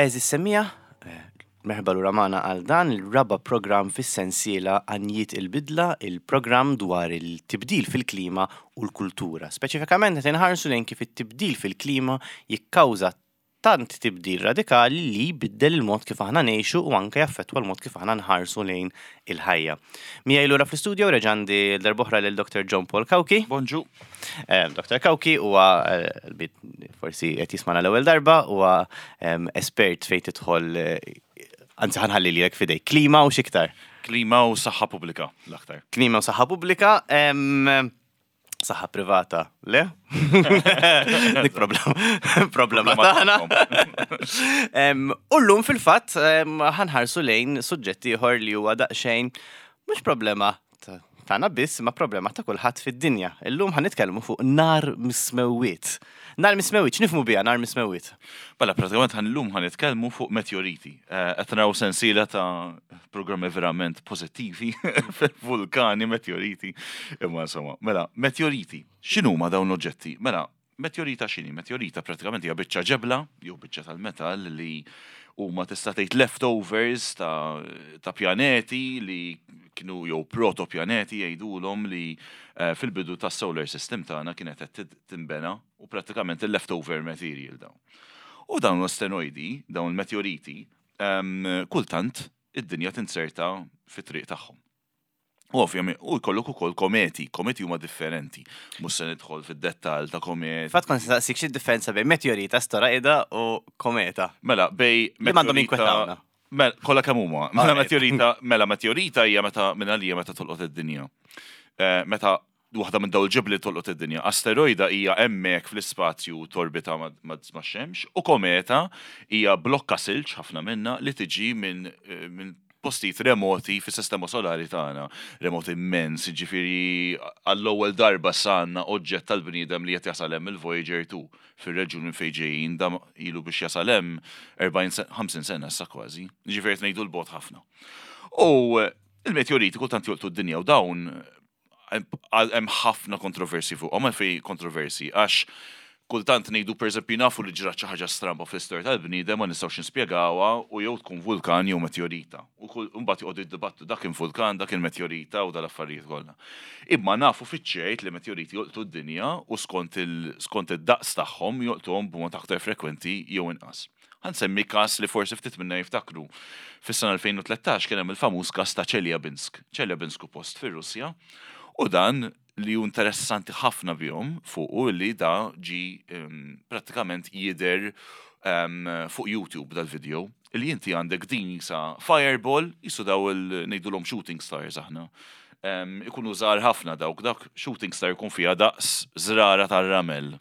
Għeżież semmiegħa, merħba lura magħna għal dan il-raba' programm fis-sensiela Għanjiet il-Bidla, il-programm dwar il-tibdil fil-klima u l-kultura. Speċifikament qed inħarsu lejn kif it-tibdil fil-klima jikkawża tant tibdil radikali li jbiddel il-mod kif aħna ngħixu u anke jaffettwa l-mod kif aħna nħarsu lejn il-ħajja. Miegħi lura fl-istudio reġa' għandi l-darb'oħra lil Dr. John Paul Cauchi. Bonġu. Eh, Dr. Cauchi huwa eh, forsi qed jismana l-ewwel darba huwa ehm, espert fejn tidħol eh, anzi ħanħalli lilek fidej klima u x'iktar. Klima u saħħa pubblika l-aktar. Klima u saħħa pubblika. Ehm, Saħħa privata, le? Dik problema, problema tagħna. U llum fil-fatt ħanħarsu lejn suġġett ieħor li huwa daqsxejn mhux problema tagħna biss, ma problema ta' kulħadd fid-dinja. Illum ħan nitkellmu fuq nar mismewwiet. Nar mismewwiet, x'nifhmu biha nar mismewwiet? Mela, pratikament ħan illum ħan nitkellmu fuq meteoriti. Eh, qed naraw sensiela ta' programmi verament pożittivi, vulkani, meteoriti. Imma insomma, mela, meteoriti, x'inhuma dawn l-oġġetti? Mela, meteorita x'inhi? Meteorita pratikament hija biċċa ġebla jew biċċa tal-metall li huma tista' tgħid leftovers ta', ta pjaneti li kienu jew protopjaneti jgħidulhom li eh, fil-bidu tas-solar system tagħna kienet qed tinbena u prattikament il-leftover material dawn. U dawn l-asteroidi, dawn il-meteoriti, kultant id-dinja tinzerta fit-triq tagħhom. U ovvjament, u jkollok ukoll kometi, kometi huma differenti. Mhux se nidħol fid-dettall ta' kometi. Fatt kont saqsik xi differenza bejn meteorita, asteroida u kometa. Mela, bej Li m'għandhom jinkwetawna. Mela, kollha kemm huma. Mela meteorita, mela meteorita hija meta minn għalija meta tolqot id-dinja. Eh, meta waħda minn dawn il-ġebli tolqot id-dinja. Asteroida hija hemmhekk fl-ispazju torbita max-xemx u kometa hija blokka silġ ħafna minnha li tiġi minn minn postijiet remoti fis-sistema solari tagħna, remoti immens, jiġifieri għall-ewwel darba issa għandna oġġett tal-bniedem li qed jasal hemm il-Voyager 2 fir-reġjun minn fejn ġejjin, dan ilu biex jasal hemm 40 sena, 50 sena issa kważi. Jiġifieri qed ngħidu 'l bogħod ħafna. U l-meteoriti kultant jolqtu d-dinja u dawn hemm ħafna kontroversi fuqhom, għalfejn kontroversi għax kultant ngħidu pereżempju nafu li ġrat xi ħaġa stramba fl-istorja tal-bniedem ma nistgħux nispjegawha u jew tkun vulkan jew meteorita. U mbagħad joqogħdu jiddibattu dak kien vulkan, dak kien meteorita u dal-affarijiet kollha. Imma nafu fiċ-ċert li meteoriti jolqtu d-dinja u skont skont id-daqs tagħhom jolqtuhom b'mod aktar frekwenti jew inqas. Ħa nsemmi każ li forsi ftit minna jiftakru. Fis-sena 2013 kien hemm il-famuż każ ta' Chelyabinsk. Chelyabinsk hu post fir-Russja u dan li hu interessanti ħafna bihom fuqu li da ġi prattikament jidher fuq YouTube dal-video li inti għandek din jisa fireball jisu daw il ngħidulhom shooting stars aħna. Ikunu żgħar ħafna dawk dak shooting star jkun fiha daqs żrara tar-ramel.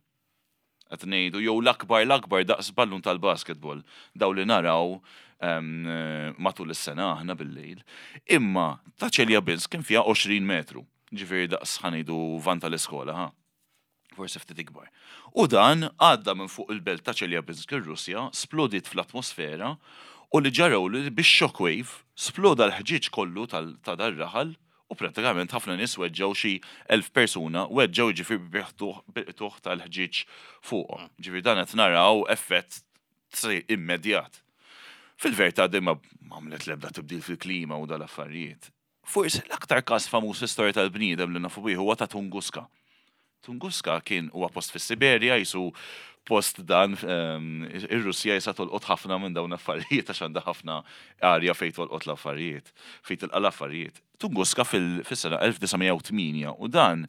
Qed ngħidu jew l-akbar l-akbar daqs ballun tal-basketball, dawn li naraw matul is-sena aħna bil-lejl. Imma ta' Chelyabinsk kien fiha 20 metru, ġifieri daqs ħa ngħidu van tal-iskola, ħa. Forsi ftit ikbar. U dan għadda minn fuq il-belt ta' Chelyabinsk ir-Russja, splodiet fl-atmosfera u li ġaraw li bix-shockwave sploda l-ħġieġ kollu ta' dar-raħal U prattikament ħafna nies weġġgħu xi 1,000 persuna weġġgħu jiġifieri bil-qtugħ tal-ħġieġ fuqhom. Ġifieri dan qed naraw effett immedjat. Fil-verità din ma għamlet l-ebda tibdil fil-klima u dal-affarijiet. Forsi l-aktar każ famuż fl-istorja tal-bniedem li nafu bih huwa ta' Tunguska. Tunguska kien huwa post fis-Siberja jisu post dan ehm, ir-Russja jisa tolqot ħafna minn dawn affarijiet għax għandha ħafna arja fejn tolqot l-affarijiet, fejn tilqa' l-affarijiet. Tunguska fis-sena 1908 u dan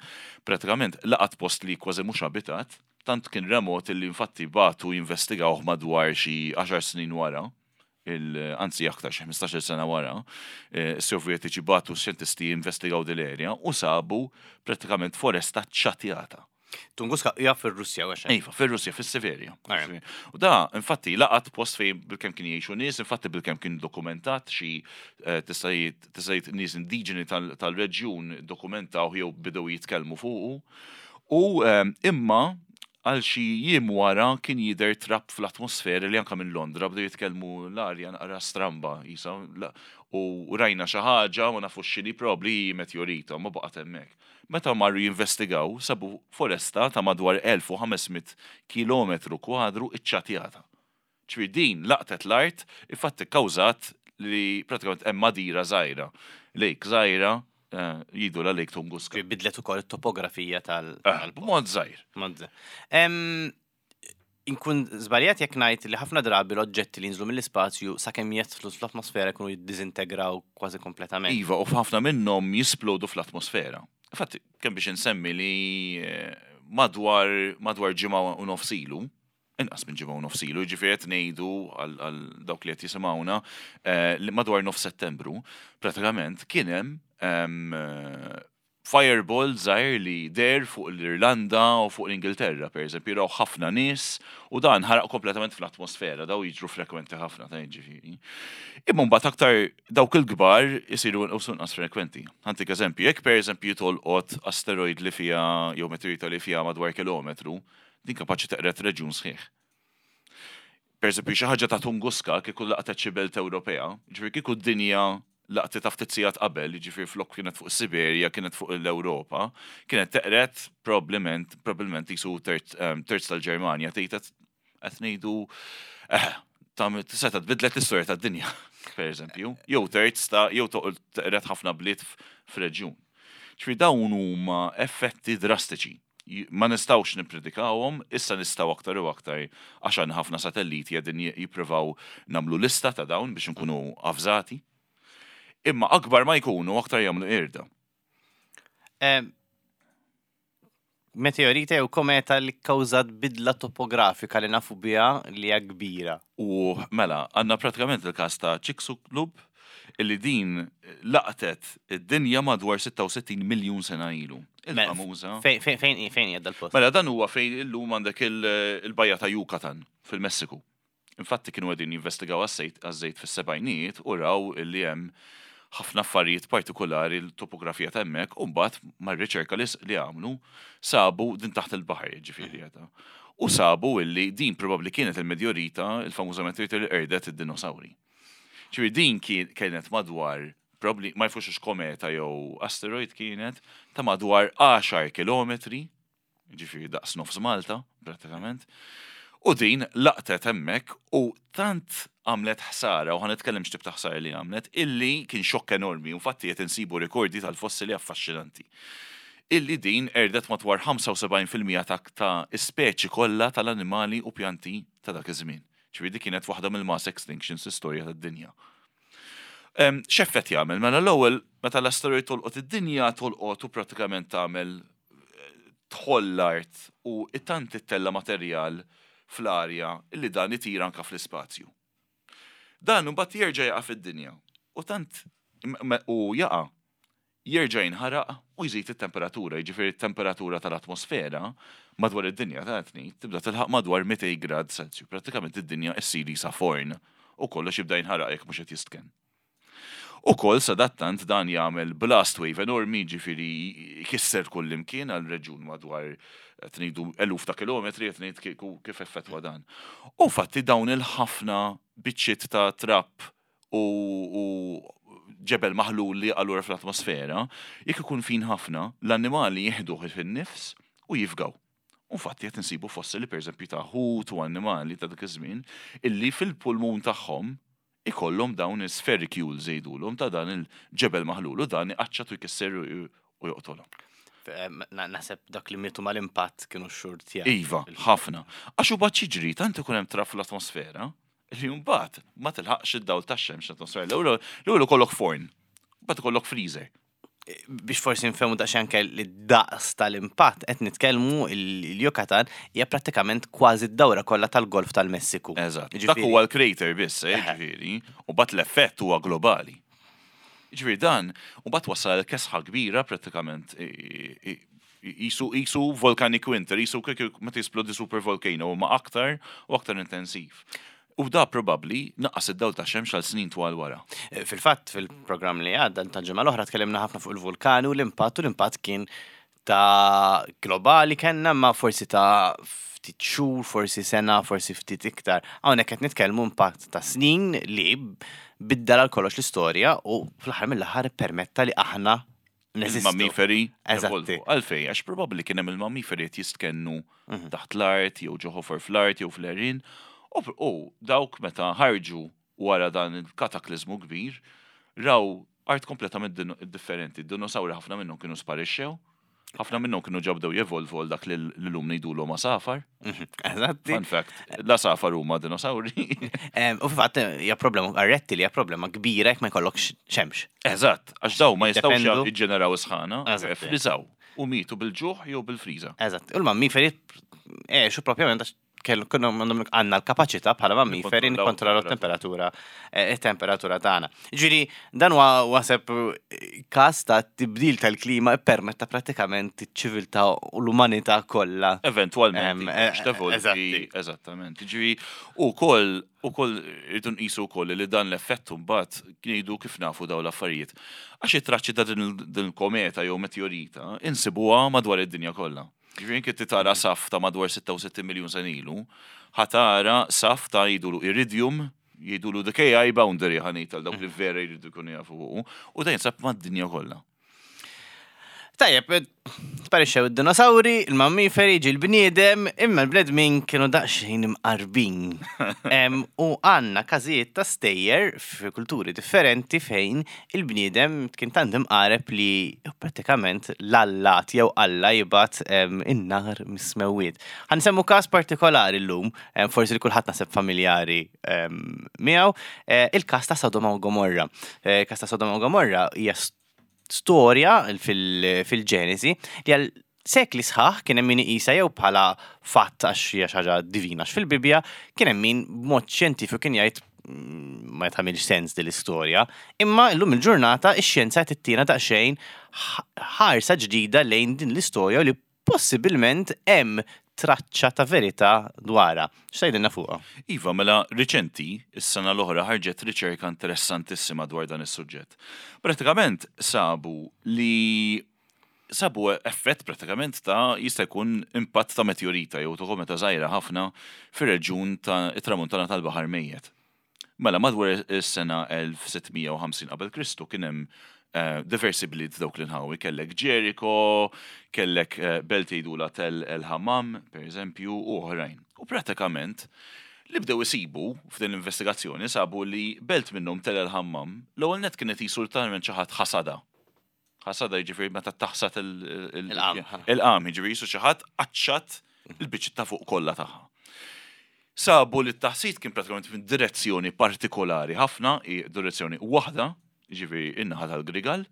pratikament laqat post li kważi mhux abitat, tant kien remot li infatti bagħtu jinvestigawh madwar xi 10 snin wara anzi aktar xi 15-il sena wara, eh, is-Sovjetiċi bagħtu xjentisti jinvestigaw din l-erja u sabu prattikament foresta ċċatjata. Tunguska hija fir-Russja għax. Iva, fir-Russja, fis-Siberja. U da, infatti, laqat post fejn bilkemm kien jgħixu nies, infatti bilkemm kien dokumentat xi eh, tista' jgħid nies indiġeni tal-reġjun dokumentaw jew bidew jitkellmu fuqu. U eh, imma. Għal xi jiem wara kien jidher trab fl-atmosfera li anke minn Londra bdew jitkellmu l-arja naqra stramba qisha u rajna xi ħaġa ma nafux x'inhi probabbli hi meteorita ma baqgħet hemmhekk. Meta marru jinvestigaw sabu foresta ta' madwar 1,500 kilometru kwadru ċċatjata. Ġifieri din laqtet l-art, infatti kkawżat li pratikament hemm għadira żgħira, lake żgħira, jgħidulha Lake Tunguska. Ġifieri bidlet ukoll it-topografija tal. B'mod żgħir. Mod żgħir. Inkun żbaljat jekk ngħid li ħafna drabi l-oġġetti li jinżlu mill-ispazju sakemm jidħlu fl-atmosfera jkunu jiddiżintegraw kważi kompletament. Iva, u f'ħafna minnhom jisplodu fl-atmosfera. Infatti, kemm biex insemmi li madwar madwar ġimgħa u nofs ilu, inqas minn ġimgħa u nofs ilu, jiġifieri qed ngħidu għal dawk li qed jisimgħuna eh, li madwar nofs Settembru, pratikament kien hemm ehm, fireball żgħir li der fuq l-Irlanda u fuq l-Ingilterra, per eżempju, raw ħafna nies u dan ħaraq kompletament fl-atmosfera, daw jiġru frekwenti ħafna ta' jiġifieri. Imma mbagħad aktar dawk il-kbar isiru inqas frekwenti. Ħantik eżempju, jekk per eżempju tolqot asteroid li fiha jew meteorita li fiha madwar kilometru, Din kapaċi teqred reġjun sħiħ. Pereżempju, xi ħaġa ta' Tunguska kieku laqtet xi belt Ewropea, jiġifieri kieku d-dinja laqtitha ftit sigħat qabel, jiġifieri flok kienet fuq is-Siberja kienet fuq l-Ewropa, kienet teqred probbliment, probbilment qisu terz, terz tal-Ġermanja, tgħid qed ngħidu eh, seta' tbiddlet l-istorja tad-dinja, pereżempju, jew terz ta' jew teqred ħafna bliet f'reġjun. Ġifieri dawn huma effetti drastiċi. Ma nistgħux nippredikawhom, issa nistgħu aktar u aktar għax għandna ħafna satelliti qegħdin jippruvaw nagħmlu lista ta' dawn biex inkunu avżati. Imma akbar ma jkunu aktar jagħmlu qirda. Meteorita jew kometa li kkawżat bidla topografika li nafu biha li hija kbira. U mela, għandna pratikament il-każ ta' Chicxulub illi din laqtet id-dinja madwar 66 miljun sena ilu. Mela, Il-famuża. Fejn fejn fejn hija dal-post? Mela dan huwa fejn illum għandek il-bajja ta' Yucatan fil-Messiku. Infatti kienu qegħdin jinvestigaw għaż-żejt fis-sebgħinijiet u raw illi hemm ħafna affarijiet partikulari l-topografija ta' hemmhekk u mbagħad mar-riċerka li għamlu sabu din taħt il-baħar jiġifieri qiegħda. U sabu illi din probabbli kienet il-medjorita, il-famuża meteorita li qerdet id-dinosawri. Ġifieri din kienet madwar probabbli ma jafux hux kometa jew asteroid kienet ta' madwar 10 kilometri, ġifieri daqs nofs Malta prattikament. U din laqtet hemmhekk u tant għamlet ħsara, u ħa nitkellem x'tip ta' ħsara li għamlet, illi kien xokk enormi, infatti qed insibu rikordi tal-fossili affaxxinanti. Illi din qerdet madwar 75% ta' ta' ispeċi kollha tal-annimali u pjanti ta' dak iż-żmien. Ġifieri dik kienet waħda mill-mass extinctions fl-istorja tad-dinja. X'effett jagħmel? Mela l-ewwel meta l-asteroid tolqot id-dinja tolqot u pratikament tagħmel tħoll l-art u tant ittella' materjal fl-arja li dan itir anke fl-ispazju. Dan imbagħad jerġa' jaqa' fid-dinja u tant u jaqa' jerġa' jinħaraq u jżid it-temperatura, jiġifieri t-temperatura tal-atmosfera madwar id-dinja ta' qed ngħid tibda tilħaq madwar 200 grad Celsius. Prattikament id-dinja issir qisha forn u kollox jibda jinħaraq jekk mhux qed jistkenn. Ukoll sadattant dan jagħmel blast wave enormi, jiġifieri jkisser kullimkien għal reġjun madwar qed ngħidu eluf ta' kilometri qed ngħid kieku kif effettwa dan. U fatti dawn il-ħafna biċċiet ta' trab u ġebel maħlul li jaqa' lura fl-atmosfera, jekk ikun fin ħafna, l-annimali jieħduh fin-nifs u jifgaw. U infatti qed insibu fossili pereżempju ta' ħut u annimali ta' dak iż-żmien illi fil-pulmun tagħhom ikollhom dawn is-sphericules jgħidulhom ta' dan il-ġebel maħlul u dan iqaċċat u jkisser u joqtolhom. Naħseb dak li mietu mal-impatt kienu xxurtjati. Iva, ħafna. Għax u bad xiġri tant ikun hemm trab fl-atmosfera li mbagħad ma tilħaqx id-dawl tax-xemx l-atmosfera. L-ewwel ikollok forn, mbagħad ikollok freezer. Biex forsi nfehmu daqsxejn anke li daqs tal-impatt qed nitkellmu il-Yucatan hija prattikament kważi d-dawra kollha tal-Golf tal-Messiku. Eżatt. Dak huwa l-crater biss, eh, ġifieri, u mbagħad l-effett huwa globali. Ġifieri dan, u mbagħad wassal għal kesħa kbira prattikament Qisu qisu volcanic winter, qisu kieku meta jisplodi super volcano imma aktar u aktar intensiv. U da probabbli naqqas id-dawl tax-xemx għal snin twal wara. Fil-fatt fil-programm li għadda tal-ġimgħa l-oħra tkellimna ħafna fuq il-vulkani u l-impatt u l-impatt kien ta' globali kellna, ma forsi ta' ftit xhur, forsi sena, forsi ftit iktar. Hawnhekk qed nitkellmu impatt ta' snin li biddel għal kollox l-istorja u fl-aħħar mill-aħħar permetta li aħna neżistu. Il-mammiferi Eżatti. evolvu. Għalfej, għax probabbli kien hemm il-mammiferi qed jistkennu taħt l-art, jew ġo ħofor fl-art, jew fl-għerien. U dawk meta ħarġu wara dan il-kataklizmu kbir, raw art kompletament differenti. Dinosawri ħafna minnhom kienu sparixxew, ħafna minnhom kienu ġabdew jevolvu għal dak li l-lum ngħidulhom għasafar. Eżatti. Fun fact, l-għasafar huma dinosawri. U fil-fatt hija problema għar-rettili hija problema kbira jekk ma jkollokx xemx. Eżatt, għax daw ma jistgħux Jiddependu. jiġġeneraw sħana, Eżatti. friżaw u mietu bil-ġuħ jew bil-friża. Eżatt. U l-mammiferi għexu propjament għax kellu kienu għandhom għandna l-kapaċità bħala mammiferi Nikkontrollaw nikkontrollaw t-temperatura it-temperatura tagħna. Ġifieri dan huwa waseb każ ta' tibdil tal-klima permetta prattikament iċ-ċiviltà u l-umanità kollha. Eventualment, tevolvi, eżatti. eżattament. Ġifieri, ukoll ukoll irridu nqisu wkoll li dan l-effett mbagħad ngħidu kif nafu dawn l-affarijiet. Għax it-traċċi ta' din il-kometa jew meteorita insibuha madwar id-dinja kollha. Ġifieri inti tara saf ta' madwar 66 miljun sena ilu, ħa tara saf ta' jgħidulu iridium, jgħidulu the KI boundary ħa ngħid għal dawk li vera jridu jkunu jafu fuqu, u dan jinsab mad-dinja kollha. Tajjeb, sparixxew id-dinosawri, il-mammiferi, ġie l-bniedem, imma l-bnedmin kienu daqsxejn imqarbin. U għandna każijiet ta' stejjer f'kulturi differenti fejn il-bniedem kien tant imqareb li prattikament l-allat jew Alla jibgħat in-nar mis-smewwiet. Ħa nsemmu każ partikolari llum, forsi li kulħadd naħseb familjari miegħu, il-każ ta' Sodoma u Gomorra. Każ ta' Sodoma u Gomorra hija storja fil-Ġenesi li għal sekli sħaħ kien hemm min iqisha jew bħala fatt għax hija xi ħaġa divina għax fil-Bibbja, kien hemm min b'mod xjentifiku kien jgħid ma tagħmilx sens din l-istorja. Imma llum il-ġurnata ix-xjenza qed tittina daqsxejn ħarsa ġdida lejn din l-istorja u li possibilment hemm traċċa ta' verità dwarha. X'tgħidilna fuqha? Iva, mela riċenti, is-sena l-oħra ħarġet riċerka interessantissima dwar dan is-suġġett. Pratikament sabu li sabu effett pratikament ta' jista' jkun impatt ta' meteorita jew ta' kometa żgħira ħafna fir-reġjun ta' it-tramuntana tal-Baħar Mejjet. Mela madwar is-sena 1650 qabel Kristu kien hemm diversi bliet dawk l-inħawi, kellek Ġeriko, kellek belt jgħidula Tel El Hammam, per eżempju, u oħrajn. U pratikament li bdew isibu f'din l-investigazzjoni sabu li belt minnhom Tel El Hammam l-ewwel net kienet jisu talment xi ħadd ħasada. Ħasada jiġifieri meta taħsad Il-qam. il-qam, jiġifieri jisu xi ħadd qaċċat il-biċċ ta' fuq kollha tagħha. Sabu li t-taħsid kien pratikament minn direzzjoni partikolari ħafna, direzzjoni waħda, jiġifieri in-naħa tal-Grigal.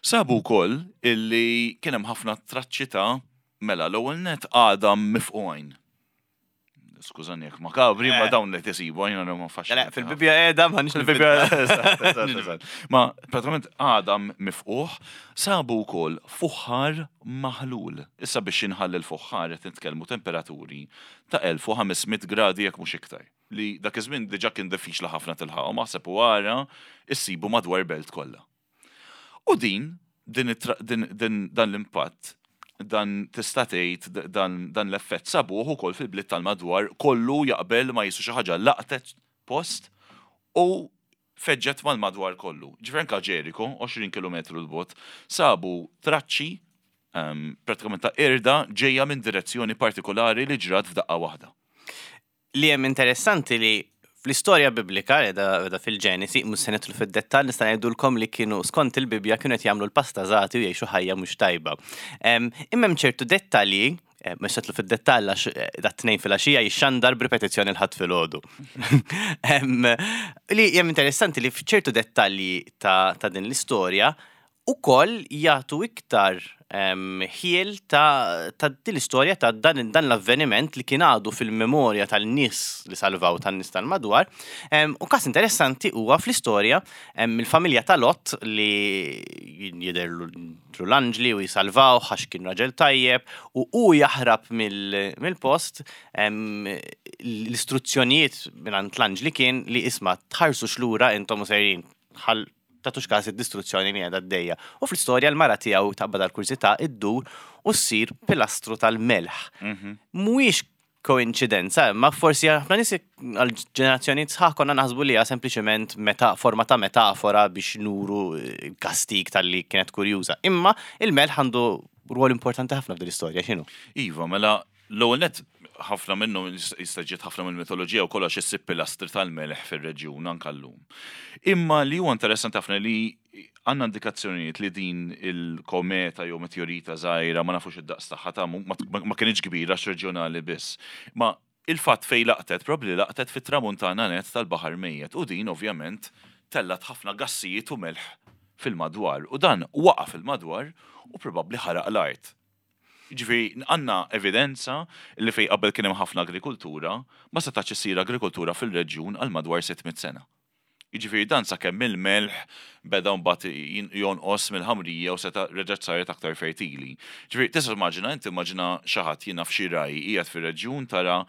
Sabu wkoll illi kien hemm ħafna traċċi ta' mela l-ewwel net għadam mifqugħin. Skużani jekk makabri, ma dawn li tisibu, jiena ma fax. Le, fil-Bibbja qiegħda ma nix Fil-Bibbja, eżatt, eżatt, eżatt. Ma pratikament għadam mifquħ, sabu wkoll fuħħar maħlul. Issa biex inħall il-fuħħar qed nitkellmu temperaturi ta' 1500 gradi jekk mhux iktar. Li dak iż-żmien diġà kien diffiċli ħafna tilħaqhom, aħseb u ara issibu madwar belt kollha. U din, din it-tra-, din, din, dan l-impatt, dan tista' tgħid dan, dan l-effett sabuh ukoll fil-bliet tal-madwar kollu jaqbel ma jisu xi ħaġa laqtet post u feġġet mal-madwar kollu. Ġifieri anke Ġeriko, 20 kilometru l-bot, sabu traċċi pratikament ta' irda ġejja minn direzzjoni partikolari li ġrat f'daqqa waħda. Li hemm interessanti li fl-istorja biblika, edha fil-Ġenesi, mhux se nidħlu fid-dettall, nista' ngħidulkom li kienu skont il-Bibbja kienu qed jagħmlu l-pastażati u jgħixu ħajja mhux tajba. Imma hemm ċertu dettalji, mhux se nidħlu fid-dettall għax dat tnejn filgħaxija jixxandar b'ripetizzjoni l-Ħadd filgħodu. Li hemm interessanti li f'ċertu dettalji ta' din l-istorja ukoll jagħtu iktar ħiel ta' din l-istorja ta' dan l-avveniment li kien għadu fil-memorja tal-nies li salvaw tan-nies tal-madwar. U każ interessanti huwa fl-istorja il-familja ta' Lot li jidher l-anġli u jisalvaw għax kien raġel tajjeb u hu jaħrab mill-post. L-istruzzjonijiet mingħand l-anġli kien li isma' tħarsux lura intom u sejrin tagħtux każ id-distruzzjoni li qiegħda għaddejja. U fl-istorja l-mara tiegħu taqbad għall-kurżità iddur u ssir pilastru tal-melħ. Mhuwiex koinċidenza, imma forsi ħafna nies għal ġenerazzjonijiet sħaħ konna naħsbu li hija sempliċement meta forma ta' metafora biex nuru kastig talli kienet kurjuża. Imma il-melħ għandu rwol importanti ħafna f'din l-istorja, x'inhu? Iva, mela l-ewwel nett ħafna minnhom jista' ġiet ħafna mill-mitoloġija u kollox issib pilastri tal-melħ fir-reġjun anke llum. Imma li huwa interessanti ħafna li għandna indikazzjonijiet li din il-kometa jew meteorita żgħira ma nafux id-daqs tagħha ta' ma kinitx kbira għax reġjonali biss. Ma il-fatt fejn laqtet, probabbli laqtet fit-tramuntana nett tal-Baħar Mejjet u din ovvjament tellgħet ħafna gassijiet u melħ fil-madwar u dan waqa' fil-madwar u probabbli ħaraq l-art. Jiġifieri għandna evidenza li fejn qabel kien hemm ħafna agrikultura, ma setax issir agrikultura fil-reġjun għal madwar 600 sena. Jiġifieri dan sakemm il-melħ beda mbagħad jonqos mill-ħamrija u seta' reġgħet saret aktar fertili. Ġifieri tista' timmaġina, inti immaġina xi ħadd jien naf xi ragħaj qiegħed fir-reġjun tara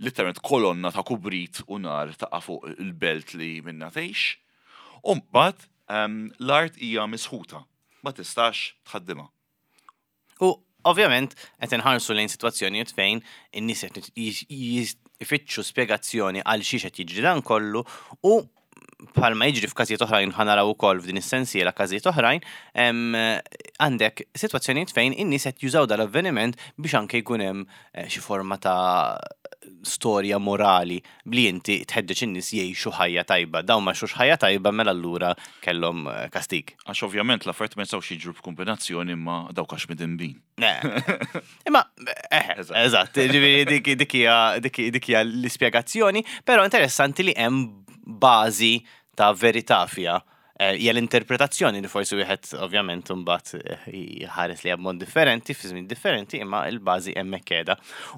litteralment kolonna ta' kubrit u nar taqa' fuq il-belt li minnha tgħix. U mbagħad l-art hija misħuta, ma tistax tħaddimha. U ovvjament qed inħarsu lejn sitwazzjonijiet fejn in-nies qed ifittxu spjegazzjoni għal xiex qed jiġri dan kollu u bħalma jiġri f'każijiet oħrajn ħa naraw ukoll f'din is-sensiela każijiet oħrajn, għandek sitwazzjonijiet fejn in-nies qed jużaw dal-avveniment biex anke jkun hemm eh, xi forma ta' storja morali li inti tħeġġeġ in-nies jgħixu ħajja tajba. Dawn ma għexux ħajja tajba mela allura kellhom eh, kastig. Għax ovvjament l-affarijiet ma jistgħux jiġru b'kombinazzjoni imma dawk għax midinbin. Imma, eh, eżatt, ġifieri dik hija l-ispjegazzjoni, però interessanti li hemm bażi ta' verità fiha. Eh, hija l-interpretazzjoni li forsi wieħed ovvjament imbagħad eh, jħares li b'mod differenti, fi żmien differenti, imma l-bażi hemmhekk qiegħda.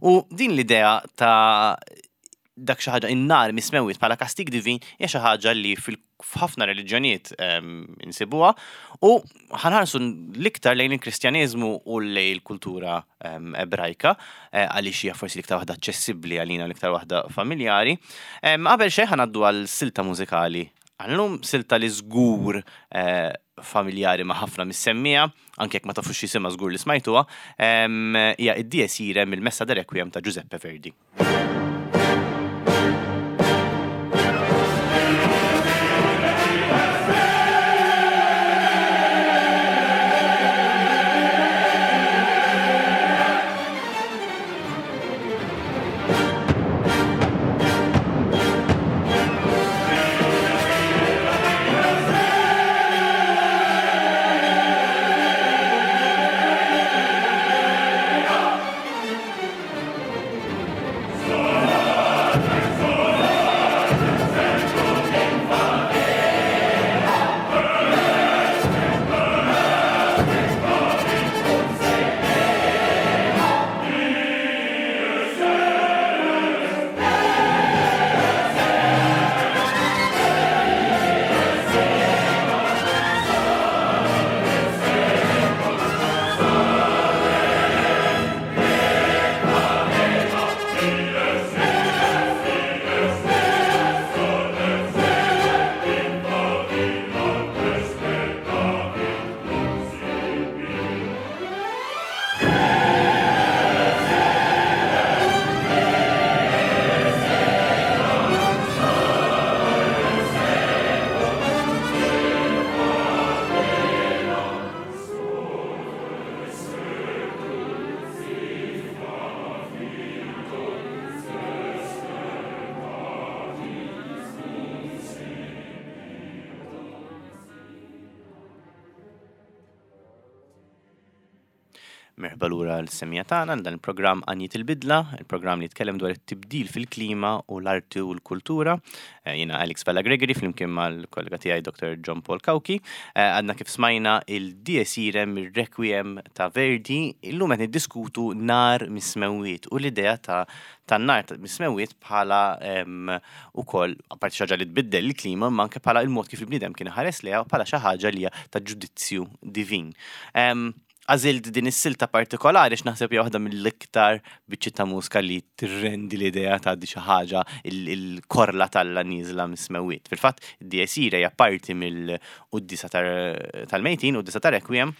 U din l-idea ta' dak xi ħaġa in-nar mismewwiet bħala kastig divin hija xi ħaġa li f'ħafna reliġjonijiet ehm, insibuha u ħanħarsu l-iktar lejn il-Kristjaneżmu u lejn il-kultura ehm, Ebrajka eh, għaliex hija forsi l-iktar waħda aċċessibbli għalina l-iktar waħda familjari. Ehm, qabel xejn ħanaddu għal silta mużikali għallum silta li żgur eh, familjari ma' ħafna mis-semmija, anke jekk ma tafux jisimha żgur li smajtuha, hija id-Dies Irae mill-Messa de Requiem ta' Giuseppe Verdi. Merħba lura l-semija tagħna dan il-programm Għanjiet il-Bidla, il-programm li jitkellem dwar it-tibdil fil-klima u l-arti u l-kultura. Eh, jiena Alex Vella Gregory flimkien mal-kollega tiegħi Dr. John Paul Cauchi. Eh, għadna kif smajna il-Dies Irae mir-Requiem ta' Verdi, illum qed niddiskutu nar mis-smewwiet u l-idea ta' tan-nar mis-smewwiet bħala ukoll apparti xi ħaġa li tbiddel il-klima imma anke bħala il-mod kif il-bniedem kien iħares lejha u bħala xi ħaġa li hija ta' ġudizzju divin. Għażilt din is-silta partikolari għax naħseb hija waħda mill-iktar biċċiet ta' mużika li tirrendi l-idea ta' di xi ħaġa il-korla t'Alla nieżla mis-smewwiet. Fil-fatt, id-Dies Irae hija parti mill-quddiesa tal-mejtin, quddiesa ta' Requiem,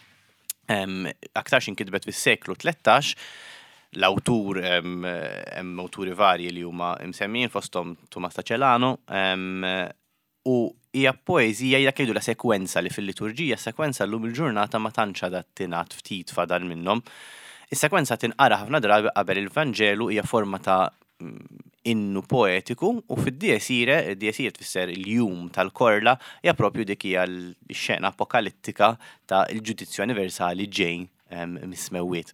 aktarx inkitbet fis-seklu 13, l-awtur hemm awturi varji li huma msemmijin fosthom Tumas ta' Celano, U hija poeżija hija dak li jgħidulha sekwenza li fil-liturġija s-sekwenza llum il-ġurnata ma tantx għadha tingħad ftit fadal minnhom. Is-sekwenza tinqara ħafna drabi qabel il-Vanġelu hija forma ta' innu poetiku u fid-Dies Irae, Dies Irae tfisser il-jum tal-korla, hija propju dik hija l-xena apokalittika ta' l-ġudizzju aniversali ġej mis-smewwiet.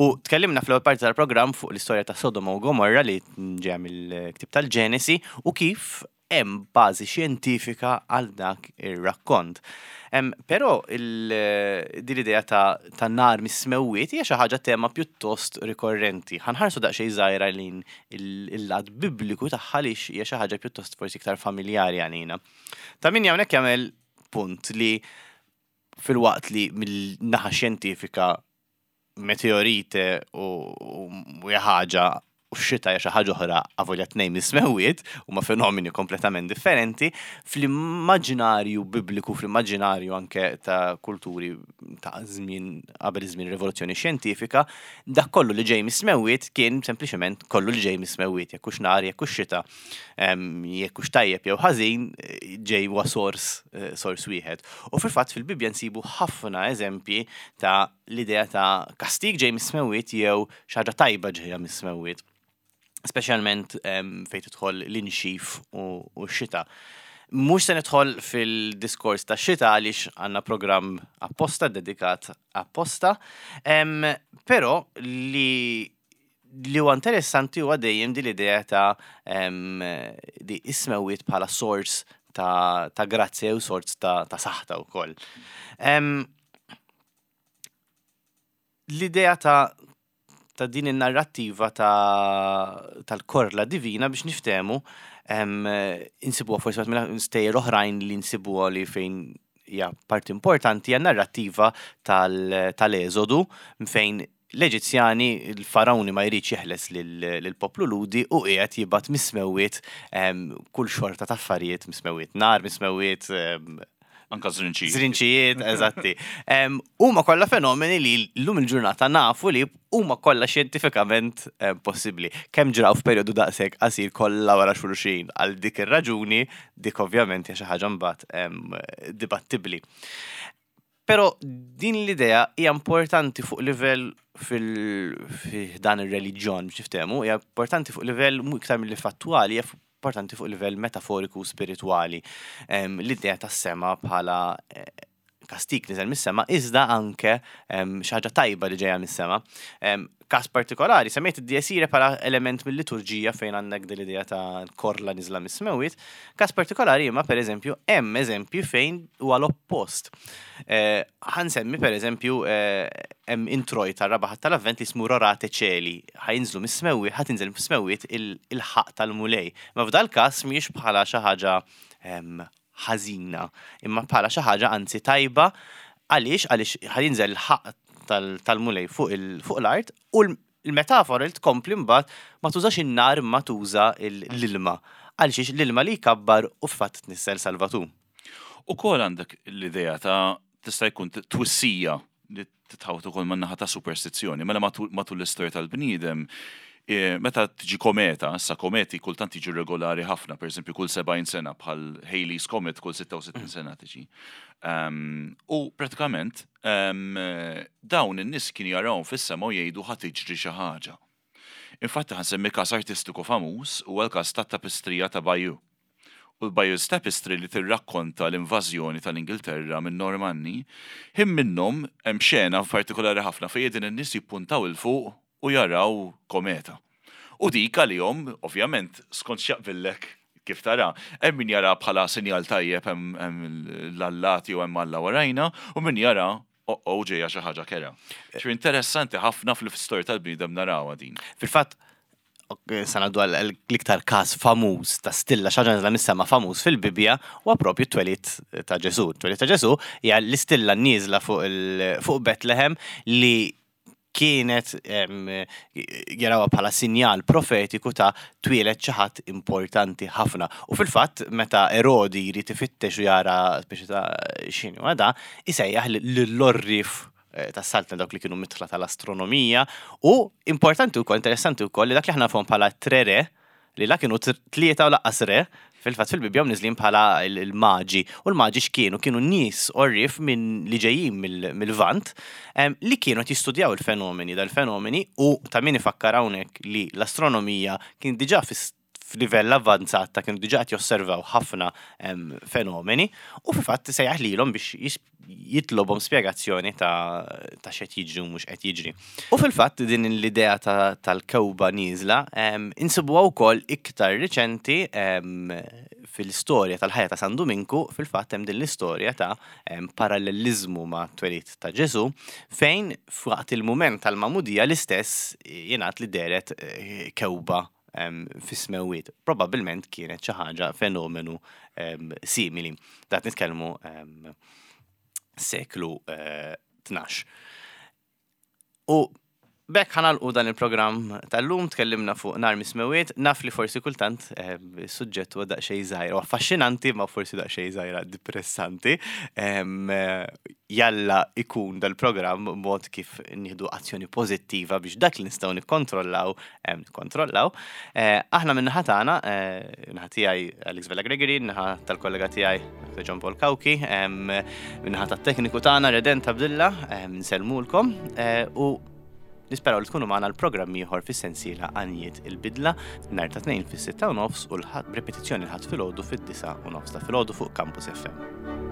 U tkellimna fl-ewwel parti tal-programm fuq l-istorja ta' Sodoma u Gomorra li ġejja mill-ktieb tal-Ġenesi u kif hemm bażi xjentifika għal dak ir-rakkont. Però din l-idea ta' ta' nar mis-smewwiet hija xi ħaġa tema pjuttost rikorrenti. Ħa nħarsu daqsxejn żgħira lejn il-lat Bibliku tagħha għaliex hija xi ħaġa pjuttost forsi iktar familjari għalina. Ta' min hawnhekk jagħmel punt li filwaqt li mill-naħa xjentifika meteorite u hija ħaġa u x-xita hija xi ħaġa oħra avolja tnejn mis-smewwiet, huma fenomeni kompletament differenti, fl-immaġinarju bibliku, fl-immaġinarju anke ta' kulturi ta' żmien qabel iż-żmien rivoluzzjoni xjentifika, dak kollu li ġej mis-smewwiet kien sempliċement kollu li ġej mis-smewwiet, jekk hux nar, jekk hux xita, jekk hux tajjeb jew ħażin, ġej huwa sors sors wieħed. U fil-fatt fil-Bibbja nsibu ħafna eżempji ta' l-idea ta' kastig ġej mis-smewwiet jew xi ħaġa tajba ġejja mis-smewwiet. Speċjalment fejn tidħol l-inxif u x-xita. Mhux se nidħol fil-diskors ta' xita għaliex għandna programm apposta dedikat apposta, però li li huwa interessanti huwa dejjem din l-idea ta' di is-smewwiet bħala sors ta', ta grazzja u sors ta', ta saħta wkoll. L-idea ta' ta' din in-narrattiva ta' tal-korla divina biex niftehmu insibuha forsi waħda mill-stejjer oħrajn li nsibuha li fejn hija parti importanti hija narrattiva tal-Eżodu fejn l-Eġizzjani, il-Farawni ma jridx jeħles lill-poplu Lhudi u qiegħed jibgħat mis-smewwiet kull xorta ta' affarijiet mis-smewwiet, nar mis-smewwiet, Anka żrinċijiet. Żrinċijiet, eżatti. Huma kollha fenomeni li llum il-ġurnata nafu li huma kollha xjentifikament possibbli. Kemm ġraw f'perjodu daqshekk qasir kollha wara xulxin għal dik ir-raġuni, dik ovvjament hija xi ħaġa mbagħad dibattibbli. Però din l-idea hija importanti fuq livell fil dan ir-reliġjon biex niftehmu, hija importanti fuq livell iktar milli fattwali, hija importanti fuq livell metaforiku u spiritwali. L-idea tas-sema bħala eh, kastik niżel mis-sema, iżda anke xi ħaġa tajba li ġejja mis-sema. Każ partikolari, semmejt id-diesire bħala element mill-liturġija fejn għandek din l-idea ta' korla niżla mis-smewwiet. Każ partikolari imma pereżempju hemm eżempji fejn huwa l-oppost. Eh, ħa nsemmi pereżempju eh, hemm introjt tar-raba' Ħadd tal-Avvent li jismu Rorate Caeli, ħa jinżlu mis-smewwiet, ħa tinżel mis-smewwiet il-ħaqq tal-Mulej. Ma f'dal-każ mhijiex bħala xi ħaġa ehm, ħażina, imma bħala xi ħaġa anzi tajba għaliex għaliex ħa jinżel il-ħaqq tal-Mulej fuq l-art u l-metafora li tkompli mbagħad ma tużax in-nar imma tuża l-ilma. Għalxiex l-ilma li jkabbar u f'fatt tnissel Salvatur. Ukoll għandek l-idea ta' tista' jkun twissija li titħawt ukoll man-naħa ta' superstizzjoni. Mela matul l-istorja tal-bniedem, e, meta tiġi kometa, issa kometi kultant jiġu regolari ħafna, per eżempju kull 70 sena bħal Halley's Comet kull 66 sena tiġi. Um, u pratikament um, dawn in-nies kienu jarawhom fis-sema u jgħidu ħa tiġri xi ħaġa. Infatti ħa nsemmi każ artistiku famuż huwa l-każ tat-tapistrija ta' Bayeux. U l-Bayeux Tapestry li tirrakkonta l-invażjoni tal-Ingilterra min-Normanni, ħin minnhom hemm xena partikolari ħafna fejn qegħdin in-nies jippuntaw 'il fuq u jaraw kometa. U dik għalihom, ovvjament, skont x'jaqbillek kif tara, hemm min jara bħala sinjal tajjeb hemm l-allat jew hemm Alla warajna u min jara oh-oh ġejja xi ħaġa kerha. Ġifieri interessanti ħafna fl-istorja tal-bniedem narawha din. Fil-fatt, Sa ngħaddu għal l-iktar każ famuż ta' stilla xi ħaġa nieżla mis-sema famuż fil-Bibbja huwa propju t-twelid ta' Ġesù. T-twelid ta' Ġesù hija l-istilla nieżla fuq fuq Betlehem li kienet jarawha bħala sinjal profetiku ta' twieled xi ħadd importanti ħafna. U fil-fatt meta Erodi jrid ifittex u jara speċi ta' x'inhu da, isejjaħ lill-għorrief eh, tas-saltna dawk li kienu mitħla tal-astronomija u importanti wkoll, interessanti wkoll li dak li aħna nafhom bħala tre re, li la kienu tlieta u laqqas re, fil-fatt fil-Bibbja mniżlin bħala l-maġi. U l-maġi x'kienu? Kienu nies għorrief minn li ġejjin mill-Lvant li kienu qed jistudjaw il-fenomeni, dal-fenomeni u ta' min ifakkar hawnhekk li l-astronomija kien diġà f'livell avvanzat ta' kienu diġà qed josservaw ħafna fenomeni u fil-fatt sejjaħ lilhom biex jitlobhom spjegazzjoni ta' ta' x'qed jiġri u mhux qed jiġri. U fil-fatt din l-idea tal-kewba nieżla insibuha wkoll iktar riċenti fil-istorja tal-ħajja ta' San Duminku, fil-fatt hemm din l-istorja ta' paralleliżmu ma' twelid ta' Ġesù fejn f'waqt il-mument tal-magħmudija l-istess jingħad li dehret eh, kewba fis-smewwiet. Probabbilment kienet xi ħaġa fenomenu simili. Dat nitkellmu seklu 12. Eh, U B'hekk ħa nagħlqu dan il-programm tal-lum, tkellimna fuq nar mis-smewwiet, naf li forsi kultant eh, is-suġġett huwa daqsxejn żgħir, u affaxxinanti ma forsi daqsxejn żgħira depressanti. Eh, jalla ikun dal-programm mod kif nieħdu azzjoni pożittiva biex dak li nistgħu nikkontrollaw, nikkontrollaw. Eh, aħna minn naħa tagħna, naħa tiegħi Alex Vella Gregory, naħa tal-kollega tiegħi Dr. John Paul Cauchi, min-naħa tat-tekniku tagħna Redent Abdilla, nsellmulkom u Nisperaw li tkunu magħna l-programm ieħor fis-sensiela Għanjiet il-Bidla nhar ta' Tnejn fis-6 u nofs u l-Ħadd b'repetizzjoni l-Ħadd filgħodu fid-9 u nofs ta' filgħodu fuq Campus FM.